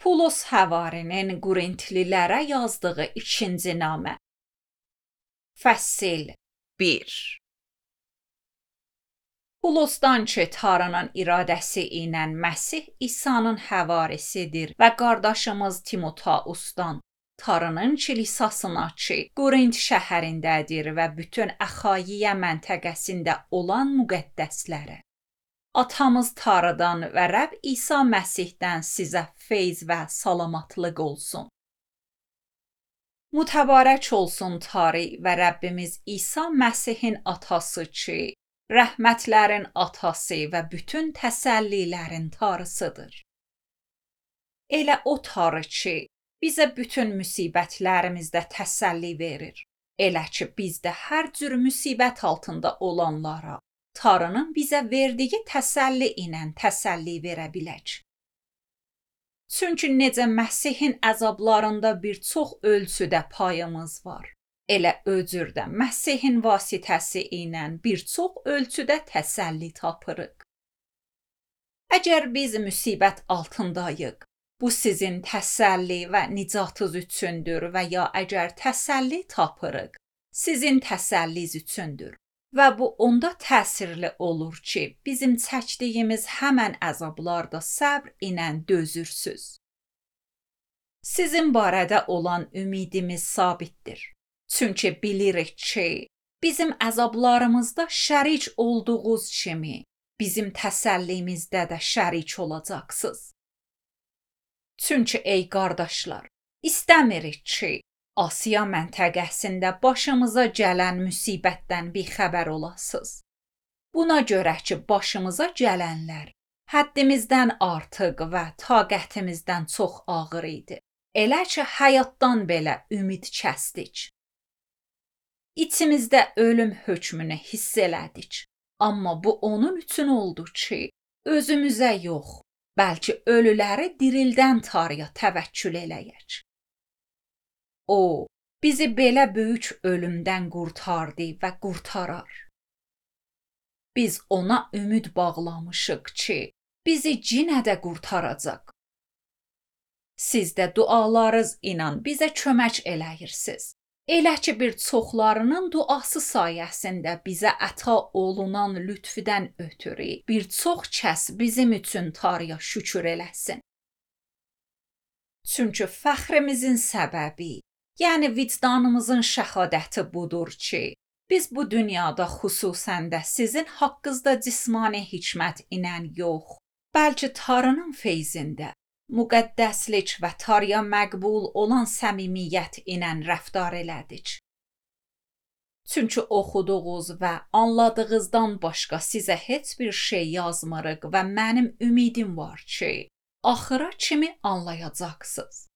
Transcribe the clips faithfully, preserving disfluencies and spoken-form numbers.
Pulos Həvarinin Qorintlilərə yazdığı ikinci namə. Fəsil bir. Pulosdan ki, Tanrının iradəsi ilə Məsih İsa'nın həvarisidir və qardaşımız Timoteusdan, Tanrının kilisasına ki, Qorint şəhərindədir və bütün Əxayiyə məntəqəsində olan müqəddəslərə. Atamız Tanrıdan və Rəbb İsa Məsihdən sizə feyz və salamatlıq olsun. Mütəbarək olsun Tanrı və Rəbbimiz İsa Məsihin atası ki, rəhmətlərin atası və bütün təsəllilərin Tanrısıdır. Elə o Tanrı ki, bizə bütün müsibətlərimizdə təsəlli verir. Elə ki, bizdə hər cür müsibət altında olanlara Tanrının bizə verdiyi təsəlli ilə təsəlli verə bilək. Çünki necə Məsihin əzablarında bir çox ölçüdə payımız var, elə öcürdə Məsihin vasitəsi ilə bir çox ölçüdə təsəlli tapırıq. Əgər biz müsibət altındayıq, bu sizin təsəlli və nicatınız üçündür və ya əgər təsəlli tapırıq, sizin təsəlliz üçündür. Və bu onda təsirli olur ki, bizim çəkdiyimiz həmən əzablarda səbr ilə dözürsüz. Sizin barədə olan ümidimiz sabitdir. Çünki bilirik ki, bizim əzablarımızda şərik olduğunuz kimi, bizim təsəllimizdə də şərik olacaqsınız. Çünki ey qardaşlar, istəmirik ki, Asiya məntəqəsində başımıza gələn müsibətdən bixəbər olasınız. Buna görə ki, başımıza gələnlər həddimizdən artıq və taqətimizdən çox ağır idi. Elə ki, həyatdan belə ümid kəsdik. İçimizdə ölüm hökmünü hiss elədik. Amma bu onun üçün oldu ki, özümüzə yox, bəlkə ölüləri dirildən Tanrıya təvəkkül eləyək. O, bizi belə böyük ölümdən qurtardı və qurtarar. Biz ona ümid bağlamışıq ki, bizi yenə də qurtaracaq. Siz də dualarınız ilə bizə kömək eləyirsiniz. Elə ki, bir çoxlarının duası sayəsində bizə əta olunan lütfüdən ötürü bir çox kəs bizim üçün Tanrıya şükür eləsin. Çünki fəxrimizin səbəbi, yəni vicdanımızın şəhadəti budur ki, biz bu dünyada xüsusən də sizin haqqınızda cismani hikmət ilə yox, bəlkə Tanrının feyzində, müqəddəslik və Tanrıya məqbul olan səmimiyyət ilə rəftar elədik. Çünki oxuduğunuz və anladığınızdan başqa sizə heç bir şey yazmırıq və mənim ümidim var ki, axıra kimi anlayacaqsınız.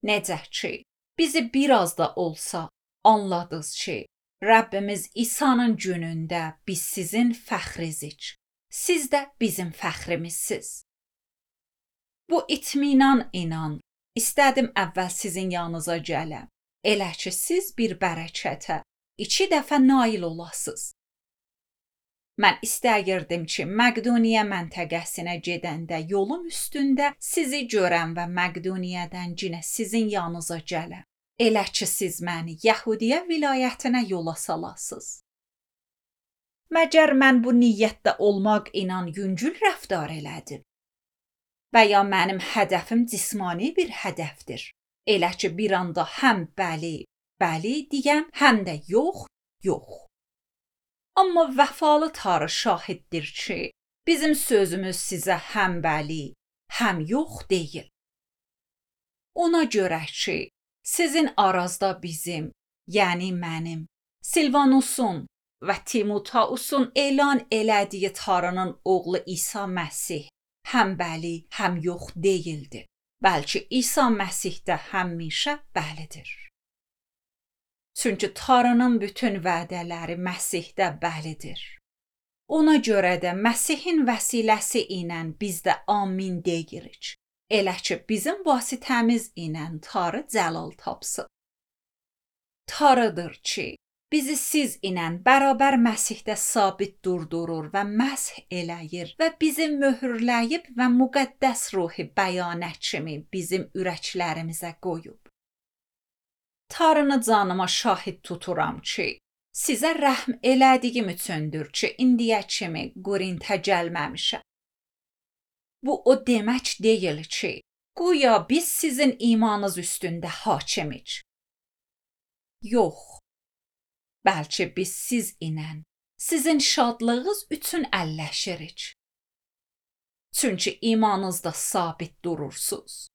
Necə ki, bizi biraz da olsa anladınız ki, Rəbbimiz İsa'nın günündə biz sizin fəxrizik. Siz də bizim fəxrimizsiz. Bu itminan inan, istədim əvvəl sizin yanınıza gələm. Elə ki, siz bir bərəkətə iki dəfə nail olasınız. Mən istəyirdim ki, Məqdoniya məntəqəsinə gedəndə yolum üstündə sizi görəm və Məqdoniyədən yenə sizin yanınıza gələm. Elə ki, siz məni Yəhudiyə vilayətinə yola salasınız. Məgər mən bu niyyətdə olmaq ilə yüngül rəftar elədim? Və ya mənim hədəfim cismani bir hədəfdir. Elə ki, bir anda həm bəli, bəli deyəm, həm də yox, yox. Amma vəfalı Tanrı şahiddir ki, bizim sözümüz sizə həm bəli, həm yox deyil. Ona görə ki, sizin arazda bizim, yəni mənim, Silvanusun və Timoteusun elan elədiyi Tanrının oğlu İsa Məsih həm bəli, həm yox deyildi. Bəlkə İsa Məsihdə həmişə bəlidir. Çünki Tanrının bütün vədələri Məsihdə bəlidir. Ona görə də Məsihin vəsiləsi ilə biz də amin deyirik. Elə ki, bizim vasitəmiz ilə Tanrı cəlal tapsın. Tanrıdır ki, bizi siz ilə bərabər Məsihdə sabit durdurur və məsh eləyir və bizi möhürləyib və müqəddəs ruhi bəyanət kimi bizim ürəklərimizə qoyub. Tanrını canıma şahid tuturam ki, sizə rəhm elədiyim üçündür ki, indiyə kimi Qorintə gəlməmişəm. Bu o demək deyil ki, güya biz sizin imanınız üstündə hakimik. Yox, bəlkə biz siz ilə sizin şadlığınız üçün əlləşirik. Çünki imanınızda sabit durursuz.